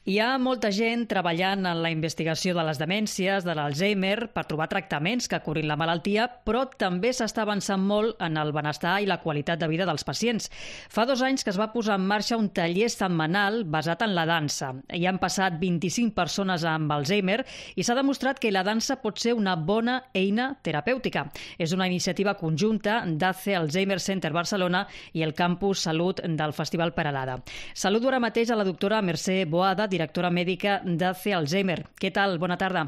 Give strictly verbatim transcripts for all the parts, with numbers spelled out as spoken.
Hi ha molta gent treballant en la investigació de les demències, de l'Alzheimer, per trobar tractaments que curin la malaltia, però també s'està avançant molt en el benestar i la qualitat de vida dels pacients. Fa dos anys que es va posar en marxa un taller setmanal basat en la dansa. Hi han passat vint-i-cinc persones amb Alzheimer i s'ha demostrat que la dansa pot ser una bona eina terapèutica. És una iniciativa conjunta d'A C E Alzheimer Center Barcelona i el Campus Salut del Festival Peralada. Saludo ara mateix a la doctora Mercè Boada, directora mèdica d'A C E Alzheimer. Què tal? Bona tarda.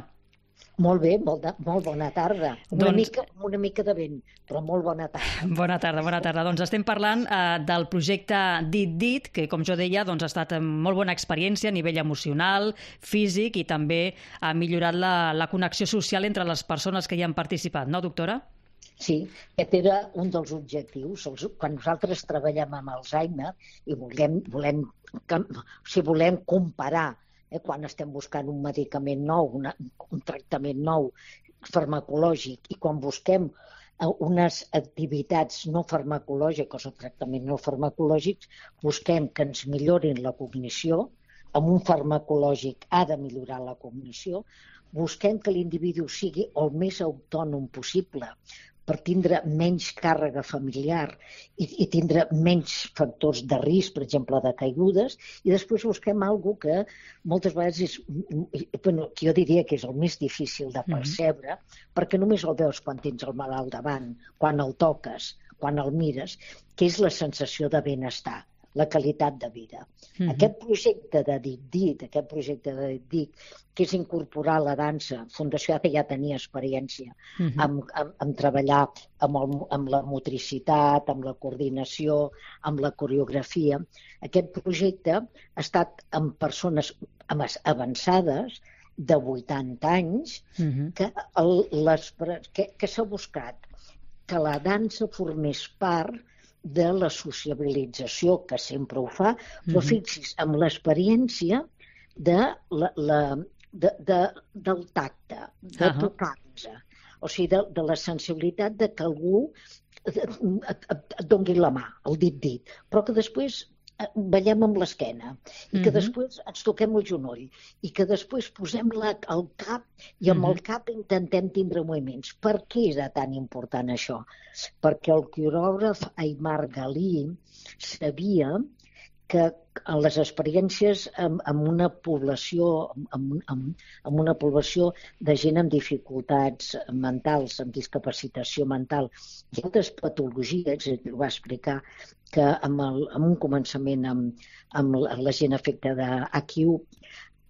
Molt bé, molt, de, molt bona tarda. Una, doncs... mica, una mica de vent, però molt bona tarda. Bona tarda, bona tarda. Doncs estem parlant eh, del projecte Dit Dit, que, com jo deia, doncs, ha estat molt bona experiència a nivell emocional, físic, i també ha millorat la, la connexió social entre les persones que hi han participat, no, doctora? Sí, aquest era un dels objectius. Quan nosaltres treballem amb Alzheimer i volem, volem, si volem comparar, eh, quan estem buscant un medicament nou, una, un tractament nou farmacològic, i quan busquem unes activitats no farmacològiques o tractaments no farmacològics, busquem que ens millorin la cognició. Amb un farmacològic ha de millorar la cognició. Busquem que l'individu sigui el més autònom possible per tindre menys càrrega familiar i, i tindre menys factors de risc, per exemple, de caigudes, i després busquem alguna que moltes vegades és, bueno, que jo diria que és el més difícil de percebre, mm-hmm. perquè només el veus quan tens el malalt davant, quan el toques, quan el mires, que és la sensació de benestar, la qualitat de vida. Mm-hmm. Aquest projecte de Dit Dit, aquest projecte de Dit Dit, que és incorporar la dansa, Fundació A C E ja tenia experiència mm-hmm. amb, amb, amb treballar amb, el, amb la motricitat, amb la coordinació, amb la coreografia. Aquest projecte ha estat amb persones avançades de vuitanta anys mm-hmm. que, el, les, que, que s'ha buscat que la dansa formés part de la sociabilització, que sempre ho fa, però fixis, amb l'experiència de la, la, de, de, del tacte, de uh-huh. tocar-nos, o sigui, de, de la sensibilitat de que algú et, et, et doni la mà, el dit-dit, però que després ballem amb l'esquena i que uh-huh. després ens toquem el genoll i que després posem la, el cap i amb uh-huh. el cap intentem tindre moviments. Per què era tan important això? Perquè el coreògraf Aimar Galí sabia que en les experiències amb, amb una població amb, amb, amb una població de gent amb dificultats mentals, amb discapacitació mental i altres patologies, ho va explicar que amb, el, amb un començament amb, amb la gent afectada d'A Q,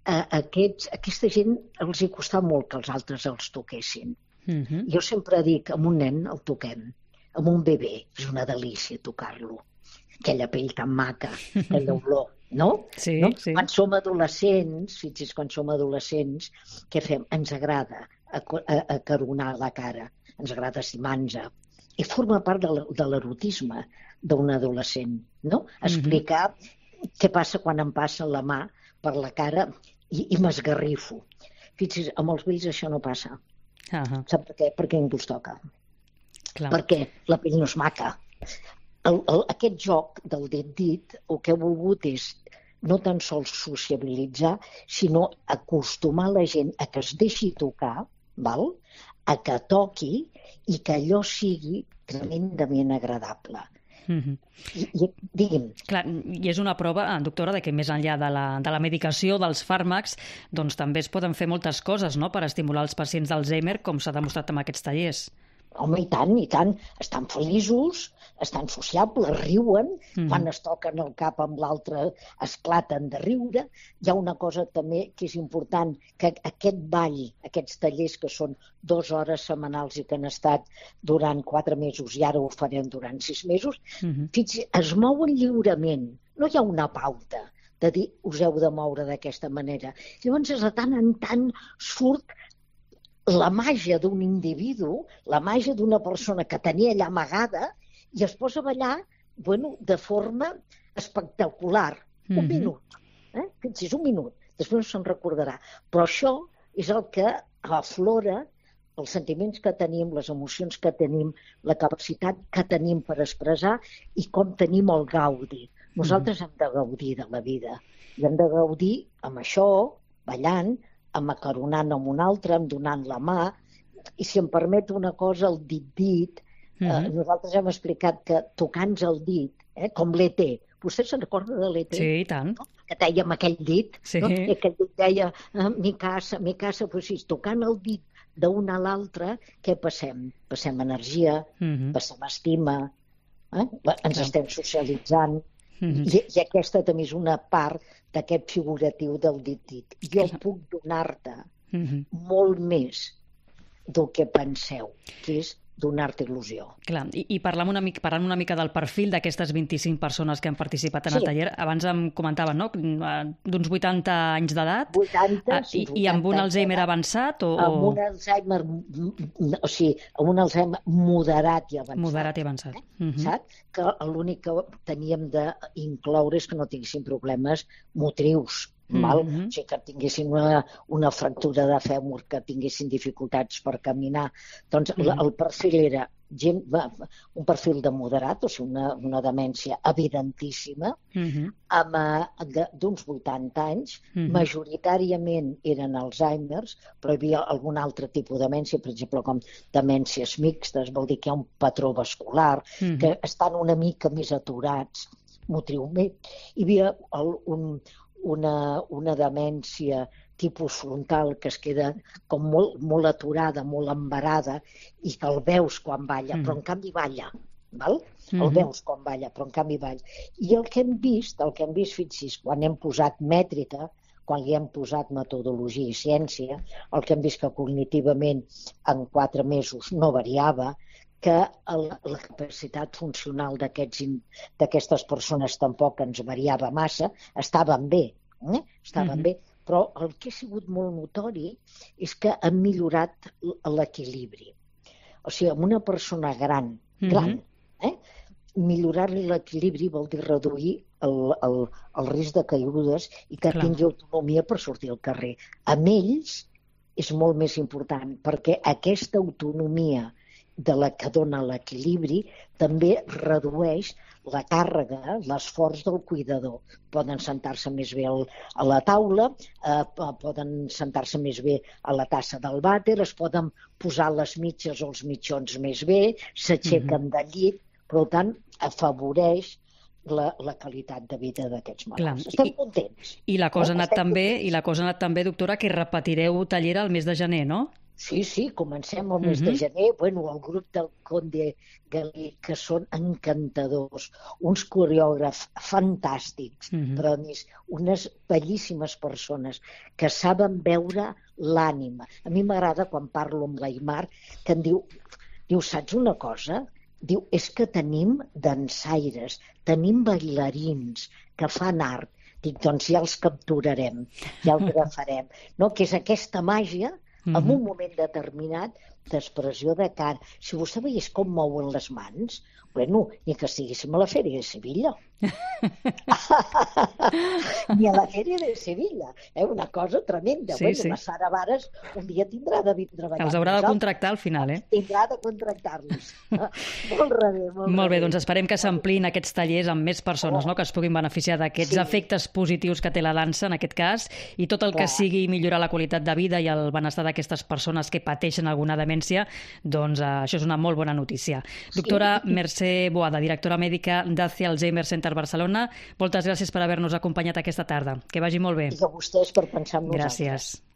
a aquests, aquesta gent els hi costava molt que els altres els toquessin. Mm-hmm. Jo sempre dic, amb un nen el toquem, amb un bebè és una delícia tocar-lo. Aquella pell tan maca, aquella olor, no? Sí, no? sí. Quan som adolescents, fixis, quan som adolescents, què fem? Ens agrada acaronar la cara, ens agrada estimar-nos. I forma part de l'erotisme d'un adolescent, no? Explicar mm-hmm. què passa quan em passa la mà per la cara i, i m'esgarrifo. Fixis, amb els vells això no passa. Uh-huh. Sap per què? Perquè ningú es toca. Clar. Perquè la pell no és maca. El, el, aquest joc del dit-dit el que he volgut és no tan sols sociabilitzar, sinó acostumar la gent a que es deixi tocar, val? A que toqui i que allò sigui tremendament agradable. Mm-hmm. I, i, digui'm. Clar, i és una prova, doctora, de que més enllà de la, de la medicació, dels fàrmacs, doncs també es poden fer moltes coses, no?, per estimular els pacients d'Alzheimer, com s'ha demostrat amb aquests tallers. Home, i tant, i tant. Estan feliços, estan sociables, riuen, mm. quan es toquen el cap amb l'altre esclaten de riure. Hi ha una cosa també que és important, que aquest ball, aquests tallers que són dues hores setmanals i que han estat durant quatre mesos i ara ho farem durant sis mesos, mm-hmm. fixi, es mouen lliurement. No hi ha una pauta de dir us heu de moure d'aquesta manera. Llavors, de tant en tant surt la màgia d'un individu, la màgia d'una persona que tenia allà amagada i es posa a ballar, bueno, de forma espectacular. Mm-hmm. Un minut. Eh? Fixis, un minut. Després no se'n recordarà. Però això és el que aflora els sentiments que tenim, les emocions que tenim, la capacitat que tenim per expressar i com tenim el gaudi. Nosaltres hem de gaudir de la vida. I hem de gaudir amb això, ballant, amb acaronant amb un altre, amb donant la mà. I si em permet una cosa, el dit-dit, eh, Mhm. nosaltres hem explicat que tocant el dit, eh, com l'E T, vostè se'n recorda de l'E T? Sí, i tant. No? Que deia amb aquell dit, Sí. no? I aquell dit deia, eh, mi casa, mi casa, però si tocant el dit d'un a l'altre, què passem? Passem energia, Mhm. passem estima, eh? ens Clar. estem socialitzant, Mhm. i, i aquesta també és una part d'aquest figuratiu del dit-dit. Jo Clar. puc donar-te Mhm. molt més del que penseu, que és donar-te il·lusió. Clar, i, i parlant una, mica, parlant una mica del perfil d'aquestes vint-i-cinc persones que han participat en Sí. el taller, abans em comentaven, no?, d'uns vuitanta anys d'edat, vuitanta, ah, sí, i, i amb un vuitanta Alzheimer d'edat, avançat o, amb o un Alzheimer, o sigui, amb un Alzheimer moderat i avançat. moderat i avançat? Eh? Mhm. Saps? Que l'únic que teníem d'incloure és que no tinguessin problemes motrius, val? Mhm. O sigui, que tinguessin una, una fractura de fèmur, que tinguessin dificultats per caminar. Doncs Mhm. la, el perfil era gent, va, un perfil de moderat, o sigui, una, una demència evidentíssima, Mhm. amb, eh, de- d'uns vuitanta anys, Mhm. majoritàriament eren Alzheimer's, però hi havia algun altre tipus de demència, per exemple, com demències mixtes, vol dir que hi ha un patró vascular, Mhm. que estan una mica més aturats motriument. Hi havia el, un, una, una demència tipus frontal que es queda com molt, molt aturada, molt embarada, i que el veus quan balla, Mhm. però en canvi balla. Val? El Mhm. veus quan balla, però en canvi balla. I el que hem vist, el que hem vist, fixi's, quan hem posat mètrica, quan li hem posat metodologia i ciència, el que hem vist que cognitivament en quatre mesos no variava, que el, la capacitat funcional d'aquests in- d'aquestes persones tampoc ens variava massa, estaven bé, eh? estaven Mhm. bé, però el que ha sigut molt notori és que han millorat l- l'equilibri. O sigui, amb una persona gran, gran, Mhm. eh? millorar-li l'equilibri vol dir reduir el, el, el risc de caigudes i que Clar. tingui autonomia per sortir al carrer. Amb ells és molt més important, perquè aquesta autonomia de la que dona l'equilibri també redueix la càrrega, l'esforç del cuidador. Poden sentar-se més bé al, a la taula, eh, poden sentar-se més bé a la tassa del vàter, es poden posar les mitges o els mitjons més bé, s'aixequen Mhm. del llit, per tant, afavoreix la, la qualitat de vida d'aquests Clar, malalts. Estem i- contents. I la cosa ha anat Estem tan bé, contents. i la cosa ha anat tan bé, doctora, que repetireu taller al mes de gener, no? Sí, sí, comencem el mes Mhm. de gener. Bueno, el grup del Conde Galí, que són encantadors, uns coreògrafs fantàstics, Mhm. però a més, unes bellíssimes persones que saben veure l'ànima. A mi m'agrada quan parlo amb l'Aimar, que em diu, diu, saps una cosa? Diu, és que tenim dansaires, tenim bailarins que fan art. Dic, doncs ja els capturarem, ja els agafarem. No? Que és aquesta màgia, en Mhm. un moment determinat, d'expressió de cara. Si vostè veiés com mouen les mans, bueno, ni que estiguéssim a la Fèria de Sevilla. Ni a la Fèria de Sevilla. Eh? Una cosa tremenda. Sí, bueno, sí. la Sara Vares un dia tindrà de vindre a treballar. Els haurà de contractar al final, eh? Tindrà de contractar-los. molt rebé, molt, Molt bé, rebé. doncs esperem que s'ampliïn aquests tallers amb més persones, Oh. no?, que es puguin beneficiar d'aquests Sí. efectes positius que té la dansa, en aquest cas, i tot el que Clar. sigui millorar la qualitat de vida i el benestar d'aquestes persones que pateixen alguna demència, doncs eh, això és una molt bona notícia. Doctora Mercè Boada, directora mèdica d'A C I Alzheimer Center Barcelona, moltes gràcies per haver-nos acompanyat aquesta tarda. Que vagi molt bé. I a vostès per pensar en nosaltres. Gràcies.